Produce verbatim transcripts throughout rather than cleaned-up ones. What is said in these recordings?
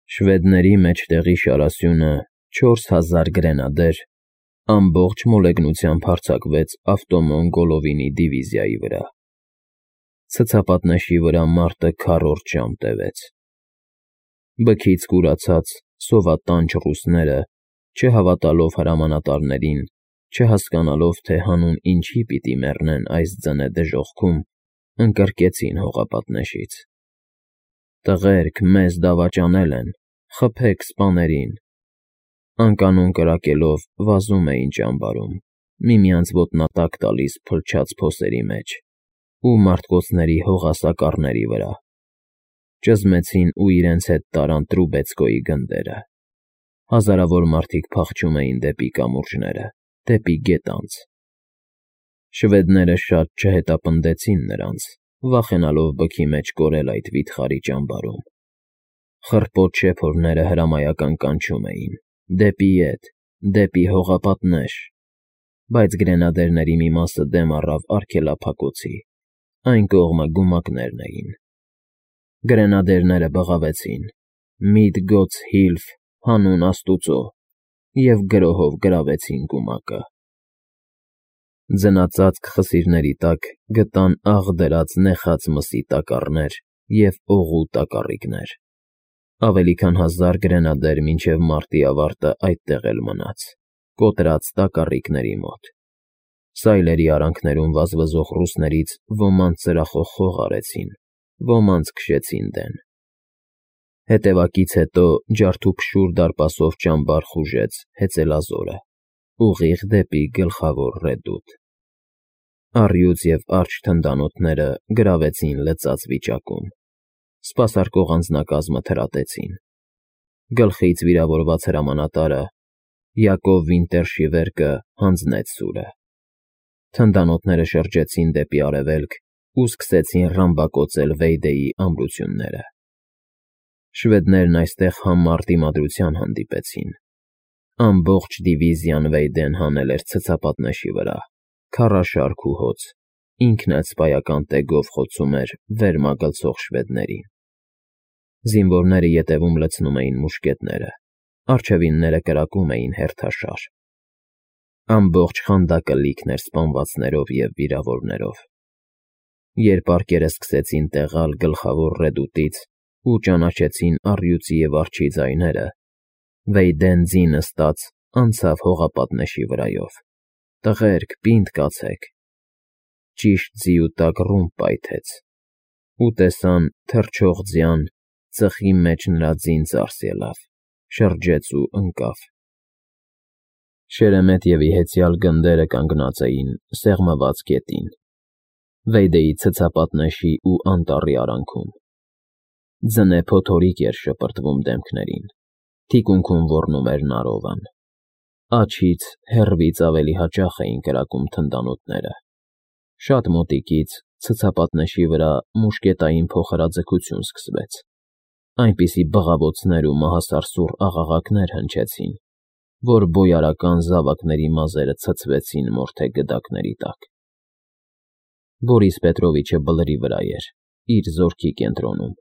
Շվեդների մեջտեղի շարասյունը չորս հազար գրենադեր ամբողջ մոլեգնությամբ հարձակվեց ավտոմոն Գոլովինի դիվիզիայի վրա։ Ցցապատնեշի վրա մարտը քառորդ ժամ տևեց։ Բքից կուրացած սովատանչ ռուսները, չհավատալով հրամանատարներին, չհասկանալով, թե հանուն ինչի պիտի մեռնեն այս ձնե դժոխքում, ընկրկեցին հողապատնեշից։ Տղերք, մեզ դավաճանել են, խփեք սպաներին, անկանոն կրակելով վազում էին ճամբարում, միմյանց ոտնատակ տալիս փլչած փոսերի մեջ ու մարտկոցների հողասակառների վրա, ճզմեցին ու իրենց հետ տարան Տրուբեցկոյի գնդերը։ Հազարավոր մարդիկ փախչում էին դեպի կամուրջները, դեպի գետանց։ Շվեդները շատ չհետապնդեցին նրանց, վախենալով բքի մեջ կորել այդ վիթխարի ճամբարում։ Խռպոտ շեփորները հրամայական կանչում էին. «Դեպի ետ, դեպի հողապատնեշ», բայց գրենադերների մի մասը դեմ առավ արգելափակոցի, այն կողմը գումակներն էին։ Գրենադերները բղավեցին. «Միդ գոց Հիլֆ, հանուն աստուծո», և գրոհով գրավեցին գումակը։ Ձնածածկ խսիրների տակ գտան աղ դրած նեխած մսի տակառներ և օղու տակառիկներ։ Ավելի քան հազար գրենադեր մինչև մարտի ավարտը այդտեղ էլ մնաց, կոտրած տակառիկների մոտ։ Սայլերի արանքներում վազվզող ռուսներից ոմանց ծրախով խող արեցին, ոմանց քշեցին դեն։ Հետևակից հետո ջարդուփշուր դարպասով ճամբար խուժեց հեծելազորը, ուղիղ դեպի Գլխավոր Ռեդուտ։ Առյուծ և արջ թնդանոթները գրավեցին լծած վիճակում, սպասարկող անձնակազմը թրատեցին։ Գլխից վիրավորված հրամանատարը՝ Յակով Վինտերշիվերկը, հանձնեց սուրը։ Թնդանոթները շրջեցին դեպի արևելք ու սկսեցին ռամբակոծել Վեյդեի ամրությունները։ Շվեդներն այստեղ համառ դիմադրության հանդիպեցին։ Ամբողջ դիվիզիան Վեյդեն հանել էր ցցապատնեշի վրա, քարաշարք ու հոծ, ինքն էլ սպայական տեգով խոցում էր վեր մագլցող շվեդներին։ Զինվորները ետևում լցնում էին մուշկետները, առջևինները կրակում էին հերթաշար։ Ամբողջ խանդակը լիքն էր սպանվածներով և վիրավորներով։ Երբ արկերը սկսեցին տեղալ Գլխավոր Ռեդուտից ու ճանաչեցին առյուծի և արջի ձայները, Վեյդեն ձինը ստած անցավ հողապատնեշի վրայով։ «Տղերք, պինդ կացեք»։ Ճիշտ ձիու տակ ռումբ պայթեց, ու տեսան թռչող ձյան, ծխի մեջ նրա ձին ծարս ելավ, շրջեց ու ընկավ։ Շերեմետևի հեծյալ գնդերը կանգնած էին սեղմված գետին, Վեյդեի ցցապատնեշի ու անտառի արանքում։ Ձնե փոթորիկ էր շպրտվում դեմքներին, թիկունքում ոռնում էր նարովան։ Աջից, հեռվից ավելի հաճախ էին կրակում թնդանոթները։ Շատ մոտիկից ցցապատնեշի վրա մուշկետային փոխհրաձգություն սկսվեց, այնպիսի բղավոցներ ու մահասարսուռ աղաղակներ հնչեցին, որ բոյարական զավակների մազերը ցցվեցին մորթե գդակների տակ։ Բորիս Պետրովիչը բլրի վրա էր, իր զորքի կենտրոնում,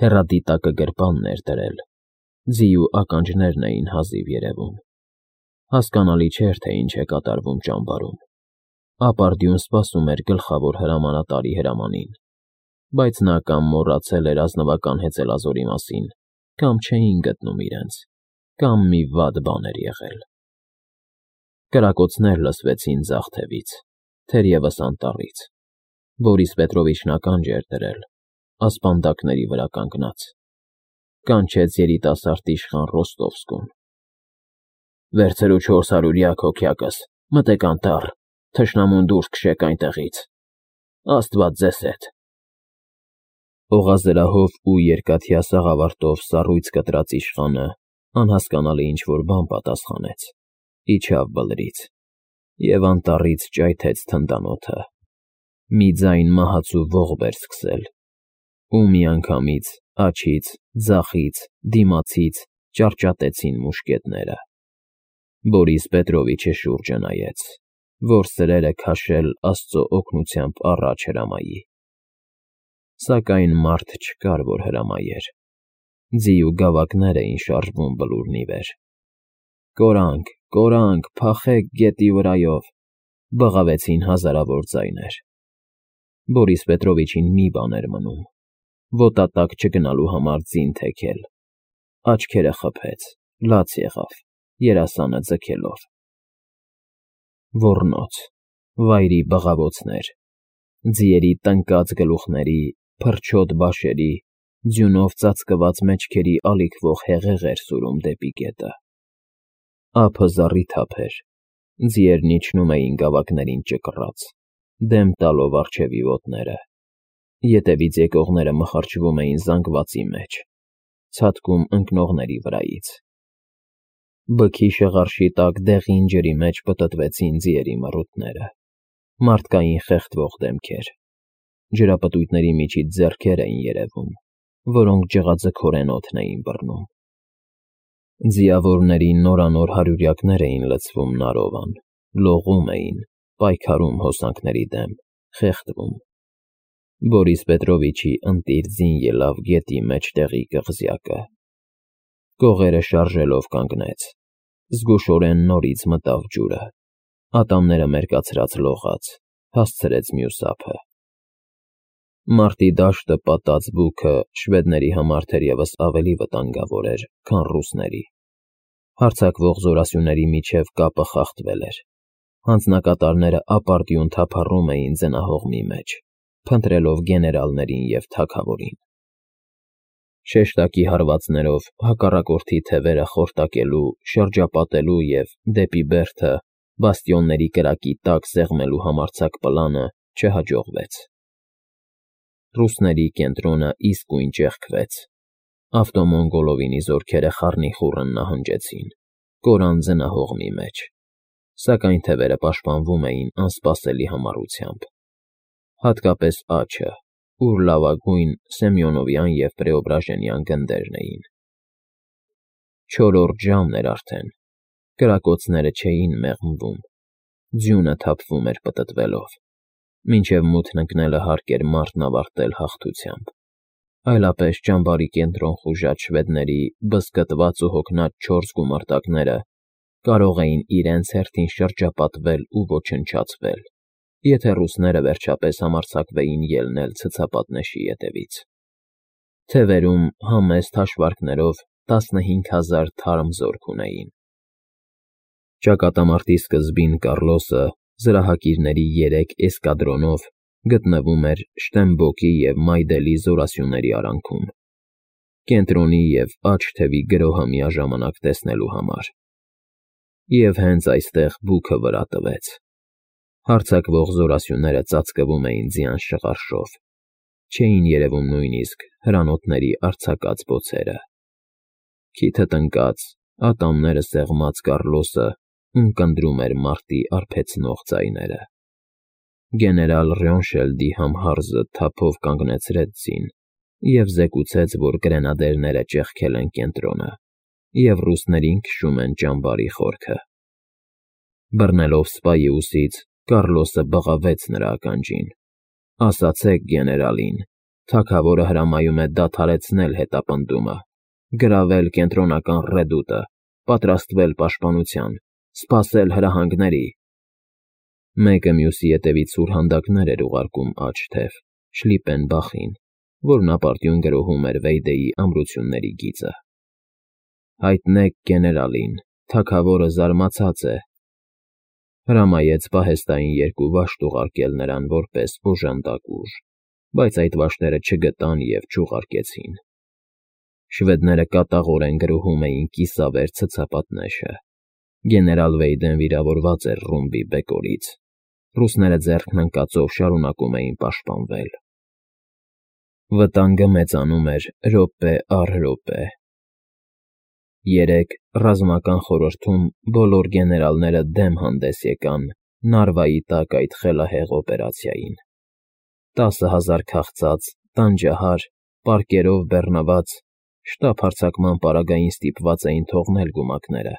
հեռադիտակը գրպանն էր դրել, ձիու ականջներն էին հազիվ երևում։ Հասկանալի չէր, թե ինչ է կատարվում ճամբարում։ Ապարդյուն սպասում էր գլխավոր հրամանատարի հրամանին, բայց նա կամ մոռացել էր ազնվական հեծելազորի մասին, կամ չէին գտնում իրենց, կամ մի վատ բան էր եղել։ Կրակոցներ լսվեցին ձախ թևից, թերևս անտառից։ Բորիս Պետրովիչն ականջ էր դրել, ասպանդակների վրա կանգնած։ Կանչեց երիտասարդ իշխան Ռոստովսկուն. «Վերցրու չորս հարյուրյակ հոգյակս, մտեք անտառ, թշնամուն դուրս քշեք այնտեղից։ Աստված ձեզ հետ»։ Օղազրահով ու երկաթյա սաղավարտով սառույց կտրած իշխանը անհասկանալի ինչ֊որ բան պատասխանեց, իջավ բլրից և անտառից ճայթեց թնդանոթը։ Մի ձայն մահացու ողբ էր սկսել, ու միանգամից աջից, ձախից, դիմացից ճառճատեցին մուշկետները։ Բորիս Պետրովիչը շուրջը նայեց, որ սրերը քաշել աստծո օգնությամբ առաջ հրամայի։ Սակայն մարդ չկար, որ հրամայեր։ Ձի ու գավակներ էին շարժվում բլուրն ի վեր։ «Կորանք, կորանք, փախեք գետի վրայով», բղավեցին հազարավոր ձայներ։ Բորիս Պետրովիչին մի բան էր մնում՝ ոտատակ չգնալու համար ձին թեքել։ Աչքերը խփեց, լաց եղավ, երասանը ձգելով։ Ոռնոց, վայրի բղավոցներ, ձիերի տնկած գլուխների, փրչոտ բաշերի, ձյունով ծածկված մեջքերի ալիքվող հեղեղ էր սուրում դեպի գետը։ Ափը զառիթափ էր, ձիերն իջնում էին գավակներին ճկռած, դեմ տալով առջևի ոտները։ Ետևից եկողները մխարչվում էին զանգվածի մեջ, ցատկում ընկնողների վրայից։ Բքի շղարշի տակ դեղին ջրի մեջ պտտվեցին ձիերի մռութները, մարդկային խեղդվող դեմքեր։ Ջրապտույտների միջից ձեռքեր էին երևում, որոնք ջղաձգորեն օդն էին բռնում։ Ձիավորների նորանոր հարյուրյակներ էին լցվում Նարովան, լողում էին, պայքարում հոսանքների դեմ, խեղդվում։ Բորիս Պետրովիչի ընտիր ձին ելավ գետի մեջտեղի կղզյակը։ Կողերը շարժելով կանգնեց, զգուշորեն նորից մտավ ջուրը, ատամները մերկացրած լողաց, հասցրեց մյուս ափը։ Մարտի դաշտը պատած բուքը շվեդների համար թերևս ավելի վտանգավոր էր, քան ռուսների։ Հարձակվող զորասյուների միջև կապը խախտվել էր։ Հանձնակատարները ապարդյուն թափառում էին ձնահողմի մեջ, փնտրելով գեներալներին և թագավորին։ Շեշտակի հարվածներով հակառակորդի թևերը խորտակելու, շրջապատելու և, դեպի բերդը, բաստիոնների կրակի տակ սեղմելու համարձակ պլանը չհաջողվեց։ Ռուսների կենտրոնը իսկույն ճեղքվեց։ Ավտոմոնգոլովինի զորքերը խառնիխուռն նահանջեցին, կորան ձնահողմի մեջ, սակայն թևերը պաշտպանվում էին անսպասելի համառությամբ։ Հատկապես աջը, ուր լավագույն Սեմյոնովյան և Պրեոբրաժենյան գնդերն էին։ Չորրորդ ժամն էր արդեն, կրակոցները չէին մեղմվում, ձյունը թափվում էր պտտվելով, մինչև մութն ընկնելը հարկ էր մարտն ավարտել հաղթությամբ, այլապես ճամբարի կենտրոն խուժած շվեդների բզկտված ու հոգնած չորս գումարտակները կարող էին իրենց հերթին շրջապատվել ու ոչնչացվել, եթե ռուսները վերջապես համարձակվեին ելնել ցցապատնեշի ետևից։ Թևերում համեստ հաշվարկներով տասնհինգ հազար թարմ զորք ունեին։ Ճակատամարտի սկզբին Կառլոսը զրահակիրների երեք էսկադրոնով գտնվում էր Շտեմբոկի և Մայդելի զորասյուների արանքում, կենտրոնի և աջ թևի գրոհը միաժամանակ տեսնելու համար։ Եվ հենց այստեղ բուքը վրա տվեց։ Հարձակվող զորասյուները ծածկվում էին ձյան շղարշով, չէին երևում նույնիսկ հրանոթների արձակած բոցերը։ Քիթը տնկած, ատամները սեղմած Կառլոսը ունկնդրում էր մարտի արբեցնող ձայները։ Գեներալ Ռյոնշելդի համհարզը թափով կանգնեցրեց ձին և զեկուցեց, որ գրենադերները ճեղքել են կենտրոնը և ռուսներին քշում են ճամբարի խորքը։ Բռնելով սպայի ուսից, Կառլոսը բղավեց նրա ականջին. «Ասացեք գեներալին, թագավորը հրամայում է դադարեցնել հետապնդումը, գրավել կենտրոնական ռեդուտը, պատրաստվել պաշտպանության, սպասել հրահանգների»։ Մեկը մյուսի ետևից սուրհանդակներ էր ուղարկում աջ թև, Շլիպպենբախին, որն ապարդյուն գրոհում էր Վեյդեի ամրությունների գիծը։ «Հայտնեք գեներալին, թագավորը զարմացած է», հրամայեց պահեստային երկու վաշտ ուղարկել նրան որպես օժանդակ ուժ, բայց այդ վաշտերը չգտան և չուղարկեցին։ Շվեդները կատաղորեն գրոհում էին կիսավեր ցցապատնեշը։ Գեներալ Վեյդեն վիրավորված էր ռումբի բեկորից։ Ռուսները ձեռքն ընկածով շարունակում էին պաշտպանվել։ Վտանգը մեծանում էր րոպե առ րոպե։ Երեկ ռազմական խորհրդում բոլոր գեներալները դեմ հանդես եկան Նարվայի տակ այդ խելահեղ օպերացիային։ Տասը հազար քաղցած, տանջահար, պարկերով բեռնված, շտապ հարձակման պարագային ստիպված էին թողնել գումակները,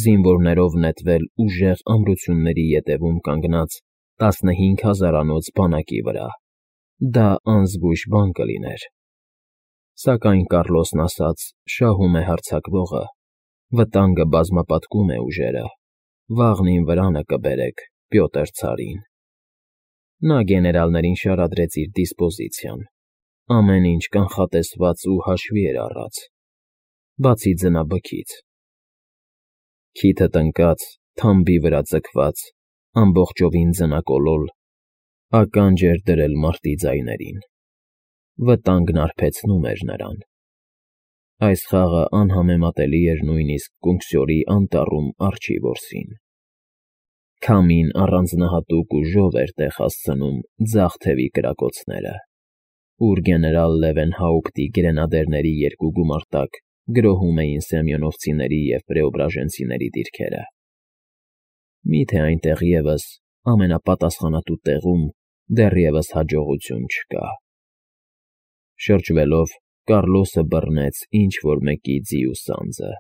զինվորներով նետվել ուժեղ ամրությունների ետևում կանգնած տասնհինգ հազարանոց բանակի վրա։ Դա անզգույշ բան կլիներ։ Սակայն Կառլոսն ասաց. շահում է հարձակվողը, վտանգը բազմապատկում է ուժերը, վաղնին վրանը կբերեք Պյոտր ցարին։ Նա գեներալներին շարադրեց իր դիսպոզիցիան, ամեն ինչ կանխատեսված ու հաշվի էր առած, բացի ձնաբքից։ Քիթը տնկած, թամբի վրա ձգված, ամբողջովին ձնակոլոլ, ականջ էր դրել մարտի ձայներին։ Վտանգն արբեցնում էր նրան։ Այս խաղը անհամեմատելի էր նույնիսկ Կունքսյորի անտառում արջի որսին։ Քամին առանձնահատուկ ուժով էր տեղ հասցնում ձախ թևի կրակոցները, ուր գեներալ Լևենհաուպտի գրենադերների երկու գումարտակ գրոհում էին սեմյոնովցիների և պրեոբրաժենցիների դիրքերը։ Մի՞թե այնտեղ ևս, ամենապատասխանատու տեղում, դեռևս հաջողություն չկա։ Շրջվելով, Կառլոսը բռնեց ինչ֊որ մեկի ձի ու սանձը։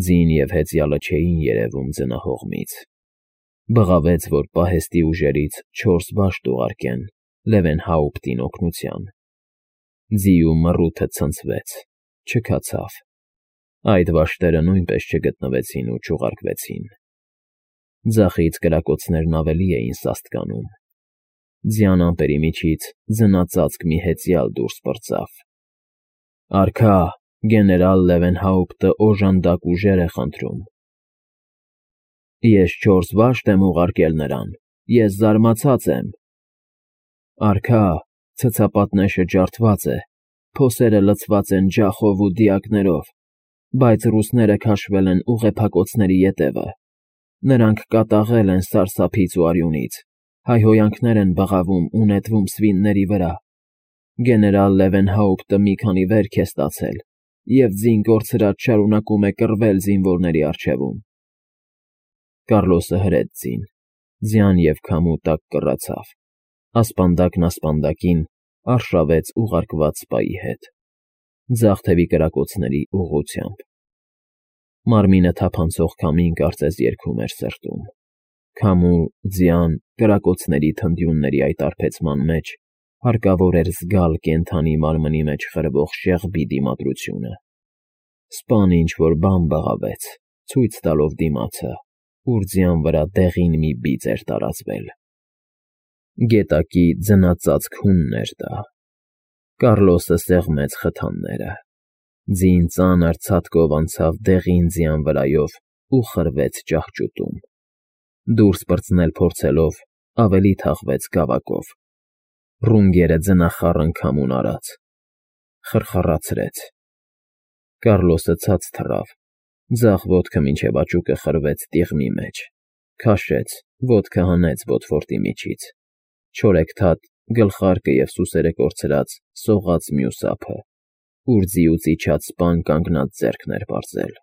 Ձին և հեծյալը չէին երևում ձնահողմից։ Բղավեց, որ պահեստի ուժերից չորս վաշտ ուղարկեն Լևենհաուպտին օգնության։ Ձիու մռութը ցնցվեց, չքացավ։ Այդ վաշտերը նույնպես չգտնվեցին ու չուղարկվեցին։ Ձախից կրակոցներն ավելի էին սաստկանում։ Ձյան ամպերի միջից ձնածածկ մի հեծյալ դուրս պրծավ. «Արքա, գեներալ Լևենհաուպտը օժանդակ ուժեր է խնդրում»։ «Ես չորս վաշտ եմ ուղարկել նրան, ես զարմացած եմ»։ «Արքա, ցցապատնեշը ջարդված է, փոսերը լցված են ջախով ու դիակներով, բայց ռուսները քաշվել են ուղեփակոցների ետևը, նրանք կատաղել են սարսափից ու արյունից, հայհոյանքներ են բղավում ու նետվում սվինների վրա։ Գեներալ Լևենհաուպտը մի քանի վերք է ստացել և ձին կորցրած շարունակում է կռվել զինվորների առջևում»։ Կառլոսը հրեց ձին, ձյան և քամու տակ կռացավ, ասպանդակն ասպանդակին արշավեց ուղարկված սպայի հետ, ձախ թևի կրակոցների ուղղությամբ։ Մարմինը թափանցող քամին կարծես երգում էր սրտում։ Քամու, ձյան, կրակոցների թնդյունների այդ արբեցման մեջ հարկավոր էր զգալ կենդանի մարմնի մեջ խրվող շեղբի դիմադրությունը։ Սպան ինչ֊որ բան բղավեց, ցույց տալով դիմացը, ուր ձյան վրա դեղին մի բիծ էր տարածվել։ Գետակի ձնածածկ հունն էր դա։ Կառլոսը սեղմեց խթանները։ Ձին ծանր ցատկով անցավ դեղին ձյան վրայով ու խրվեց ճահճուտում։ Դուրս պրծնել փորձելով, ավելի թաղվեց գավակով։ Ռունգերը ձնախառն քամուն արած, խռխռացրեց։ Կառլոսը ցած թռավ, ձախ ոտքը մինչև աճուկը խրվեց տիղմի մեջ, քաշեց, ոտքը հանեց բոթֆորտի միջից, չորեքթաթ, գլխարկը և սուսերը կորցրած սողաց մյուս ափը, ուր ձիուց իջած սպան կանգնած ձեռքն էր պարզել։